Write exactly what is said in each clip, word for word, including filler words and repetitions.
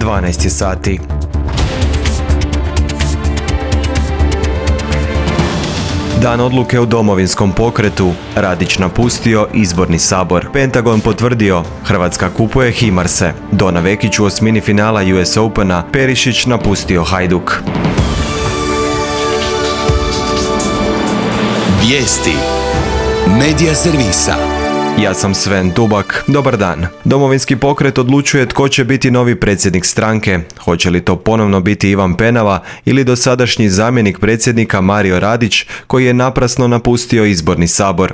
dvanaest je sati. Dan odluke u Domovinskom pokretu, Radić napustio izborni sabor. Pentagon potvrdio, Hrvatska kupuje Himarse. Dona Vekić u osmini finala U S Opena, Perišić napustio Hajduk. Vijesti Medija servisa. Ja sam Sven Dubak, dobar dan. Domovinski pokret odlučuje tko će biti novi predsjednik stranke. Hoće li to ponovno biti Ivan Penava ili dosadašnji zamjenik predsjednika Mario Radić, koji je naprasno napustio izborni sabor.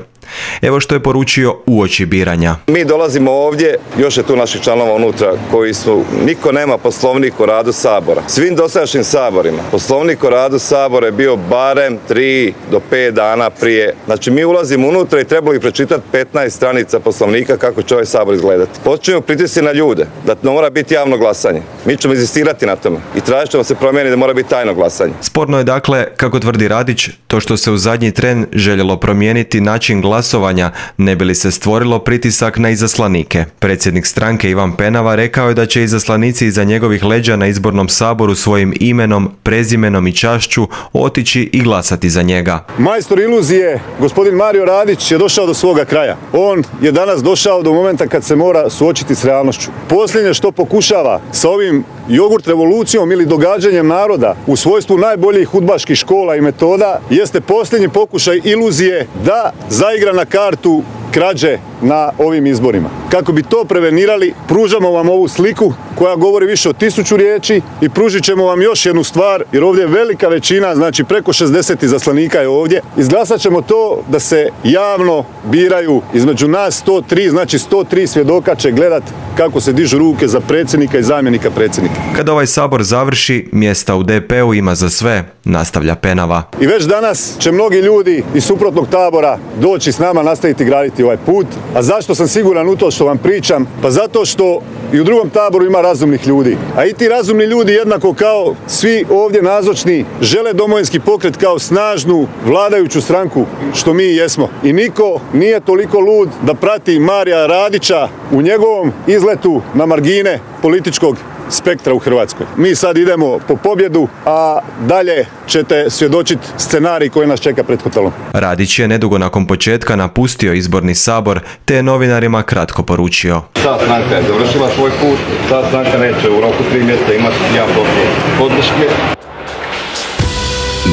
Evo što je poručio uoči biranja. Mi dolazimo ovdje, još je tu naših članova unutra koji su, niko nema poslovnik o radu sabora. Svim dosadašnjim saborima poslovnik o radu sabora je bio barem tri do pet dana prije. Znači mi ulazimo unutra i trebalo bi pročitati petnaest stranica poslovnika kako će ovaj sabor izgledati. Počinjemo pritisci na ljude da ne mora biti javno glasanje. Mi ćemo inzistirati na tome i tražit ćemo se promijeniti da mora biti tajno glasanje. Sporno je dakle, kako tvrdi Radić, to što se u zadnji tren željelo promijeniti način glasovanja, ne bi li se stvorilo pritisak na izaslanike. Predsjednik stranke Ivan Penava rekao je da će izaslanici iza njegovih leđa na izbornom saboru svojim imenom, prezimenom i čašću otići i glasati za njega. Majstor iluzije, gospodin Mario Radić, je došao do svoga kraja. On je danas došao do momenta kad se mora suočiti s realnošću. Posljednje što pokušava sa ovim jogurt revolucijom ili događanjem naroda u svojstvu najboljih udbaških škola i metoda jeste posljednji pokušaj iluzije da zaigra na kartu krađe na ovim izborima. Kako bi to prevenirali, pružamo vam ovu sliku koja govori više od tisuću riječi i pružit ćemo vam još jednu stvar, jer ovdje je velika većina, znači preko šezdeset izaslanika je ovdje. Izglasat ćemo to da se javno biraju između nas sto tri, znači sto tri svjedoka će gledat kako se dižu ruke za predsjednika i zamjenika predsjednika. Kada ovaj sabor završi, mjesta u D P-u ima za sve, nastavlja Penava. I već danas će mnogi ljudi iz suprotnog tabora doći s nama, nastaviti graditi ovaj put. A zašto sam siguran u to što vam pričam? Pa zato što i u drugom taboru ima razumnih ljudi. A i ti razumni ljudi, jednako kao svi ovdje nazočni, žele Domovinski pokret kao snažnu vladajuću stranku, što mi jesmo. I niko nije toliko lud da prati Marija Radića u njegovom izletu na margine političkog spektra u Hrvatskoj. Mi sad idemo po pobjedu, a dalje ćete svjedočiti scenarij koji nas čeka pred hotelom. Radić je nedugo nakon početka napustio izborni sabor, te je novinarima kratko poručio. Ta stranka je završila svoj put, ta stranka neće u roku tri mjeseca imati jedan posto podrške.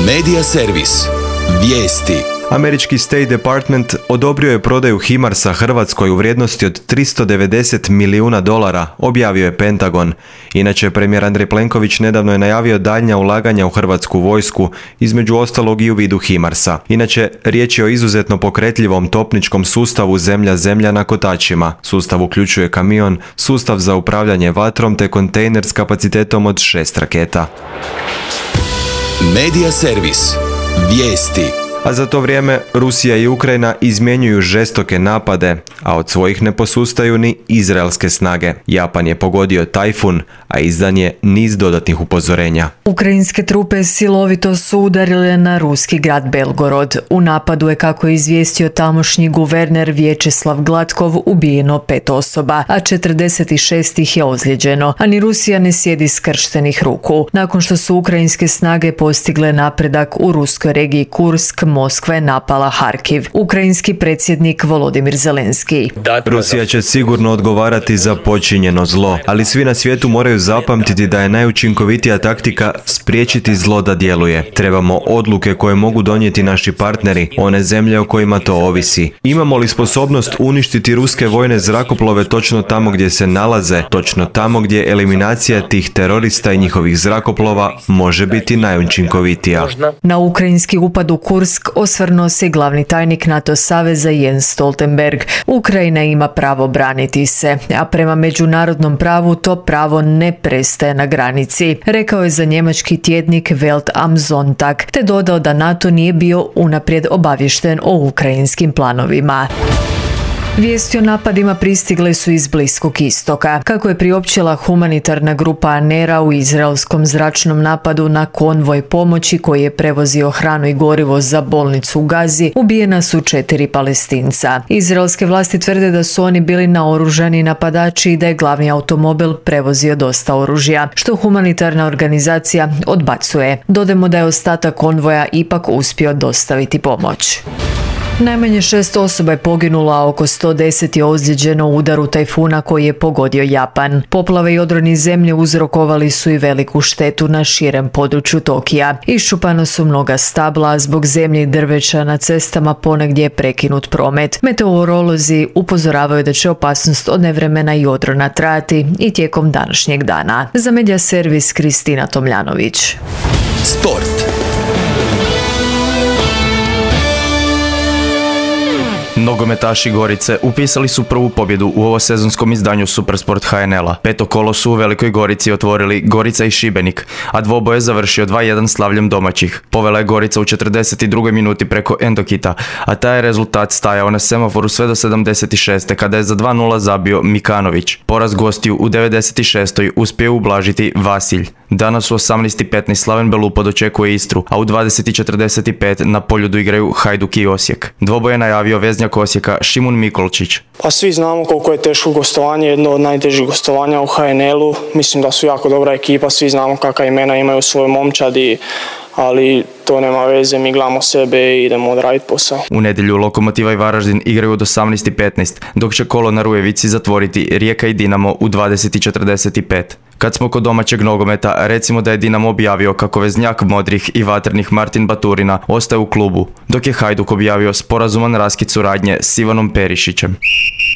Medija servis. Vijesti. Američki State Department odobrio je prodaju Himarsa Hrvatskoj u vrijednosti od tristo devedeset milijuna dolara, objavio je Pentagon. Inače, premijer Andrej Plenković nedavno je najavio daljnja ulaganja u hrvatsku vojsku, između ostalog i u vidu Himarsa. Inače, riječ je o izuzetno pokretljivom topničkom sustavu zemlja-zemlja na kotačima. Sustav uključuje kamion, sustav za upravljanje vatrom te kontejner s kapacitetom od šest raketa. Medija servis. Vijesti. A za to vrijeme Rusija i Ukrajina izmjenjuju žestoke napade, a od svojih ne posustaju ni izraelske snage. Japan je pogodio tajfun, a izdan je niz dodatnih upozorenja. Ukrajinske trupe silovito su udarile na ruski grad Belgorod. U napadu je, kako je izvijestio tamošnji guverner Vječeslav Glatkov, ubijeno pet osoba, a četrdeset šest ih je ozlijeđeno. A ni Rusija ne sjedi skrštenih ruku. Nakon što su ukrajinske snage postigle napredak u ruskoj regiji Kursk, Moskva je napala Harkiv. Ukrajinski predsjednik Volodimir Zelenski. Rusija će sigurno odgovarati za počinjeno zlo, ali svi na svijetu moraju zapamtiti da je najučinkovitija taktika spriječiti zlo da djeluje. Trebamo odluke koje mogu donijeti naši partneri, one zemlje o kojima to ovisi. Imamo li sposobnost uništiti ruske vojne zrakoplove točno tamo gdje se nalaze, točno tamo gdje eliminacija tih terorista i njihovih zrakoplova može biti najučinkovitija. Na ukrajinski upad u Kursk osvrnuo se glavni tajnik NATO saveza Jens Stoltenberg. Ukrajina ima pravo braniti se, a prema međunarodnom pravu to pravo ne prestaje na granici, rekao je za njemački tjednik Welt am Sonntag, te dodao da NATO nije bio unaprijed obavješten o ukrajinskim planovima. Vijesti o napadima pristigle su iz Bliskog istoka. Kako je priopćila humanitarna grupa Anera u izraelskom zračnom napadu na konvoj pomoći koji je prevozio hranu i gorivo za bolnicu u Gazi, ubijena su četiri Palestinca. Izraelske vlasti tvrde da su oni bili naoružani napadači i da je glavni automobil prevozio dosta oružja, što humanitarna organizacija odbacuje. Dodajmo da je ostatak konvoja ipak uspio dostaviti pomoć. Najmanje šest osoba je poginulo, a oko sto deset je ozlijeđeno u udaru tajfuna koji je pogodio Japan. Poplave i odroni zemlje uzrokovali su i veliku štetu na širem području Tokija. Iščupano su mnoga stabla, a zbog zemlje i drveća na cestama ponegdje je prekinut promet. Meteorolozi upozoravaju da će opasnost od nevremena i odrona trajati i tijekom današnjeg dana. Za Medija servis Kristina Tomljanović. Sport. Nogometaši Gorice upisali su prvu pobjedu u ovosezonskom izdanju Supersport ha en el-a. Peto kolo su u Velikoj Gorici otvorili Gorica i Šibenik, a dvoboj je završio dva jedan slavljem domaćih. Povela je Gorica u četrdeset drugoj minuti preko Endokita, a taj je rezultat stajao na semaforu sve do sedamdeset šeste kada je za dva nula zabio Mikanović. Poraz gostiju u devedeset šestoj uspio ublažiti Vasilj. Danas u osamnaest petnaest Slaven Belupo dočekuje Istru, a u dvadeset četrdeset pet na Poljudu igraju Hajduk i Osijek. Dvoboj je najavio veznjak Osijeka Šimun Mikolčić. Pa svi znamo koliko je teško gostovanje, jedno od najtežih gostovanja u ha en el-u. Mislim da su jako dobra ekipa, svi znamo kakva imena imaju u svojoj momčadi, ali to nema veze, mi gledamo sebe i idemo odraditi posao. U nedjelju Lokomotiva i Varaždin igraju od osamnaest petnaest, dok će kolo na Rujevici zatvoriti Rijeka i Dinamo u dvadeset četrdeset pet. Kad smo kod domaćeg nogometa, recimo da je Dinamo objavio kako veznjak modrih i vatrenih Martin Baturina ostaje u klubu, dok je Hajduk objavio sporazuman raskid suradnje s Ivanom Perišićem.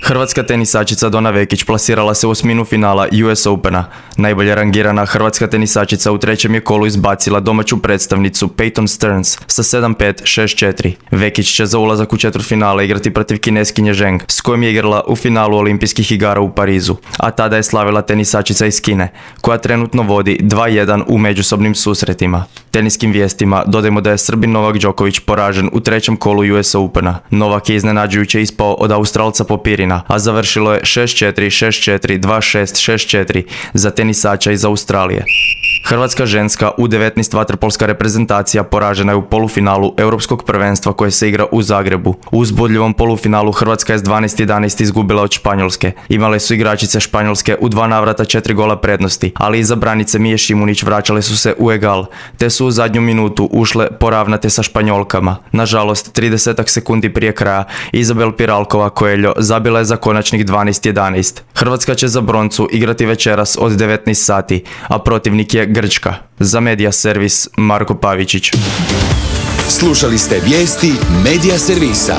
Hrvatska tenisačica Dona Vekić plasirala se u osminu finala U S Opena. Najbolje rangirana hrvatska tenisačica u trećem je kolu izbacila domaću predstavnicu Peyton Stearns sa sedam pet šest četiri. Vekić će za ulazak u četvrtfinale igrati protiv Kineskinje Zheng, s kojom je igrala u finalu olimpijskih igara u Parizu, a tada je slavila tenisačica iz Kine, koja trenutno vodi dva jedan u međusobnim susretima. Teniskim vijestima dodajmo da je Srbin Novak Đoković poražen u trećem kolu U S Opena. Novak je iznenađujuće ispao od Australca Popirina, a završilo je šest četiri, šest četiri, dva šest, šest četiri za tenisača iz Australije. Hrvatska ženska U devetnaest vaterpolska reprezentacija poražena je u polufinalu Europskog prvenstva koje se igra u Zagrebu. U uzbudljivom polufinalu Hrvatska je s dvanaest jedanaest izgubila od Španjolske. Imale su igračice Španjolske u dva navrata četiri gola prednosti, ali iza branice Mije Šimunić vraćale su se u egal, te su u zadnju minutu ušle poravnate sa Španjolkama. Nažalost, trideset sekundi prije kraja Izabel Piralkova Coelho zabila je za konačnih dvanaest jedanaest. Hrvatska će za broncu igrati večeras od devetnaest sati, a protivnik je Grčka. Za Medija servis Marko Pavičić. Slušali ste vijesti Medija servisa.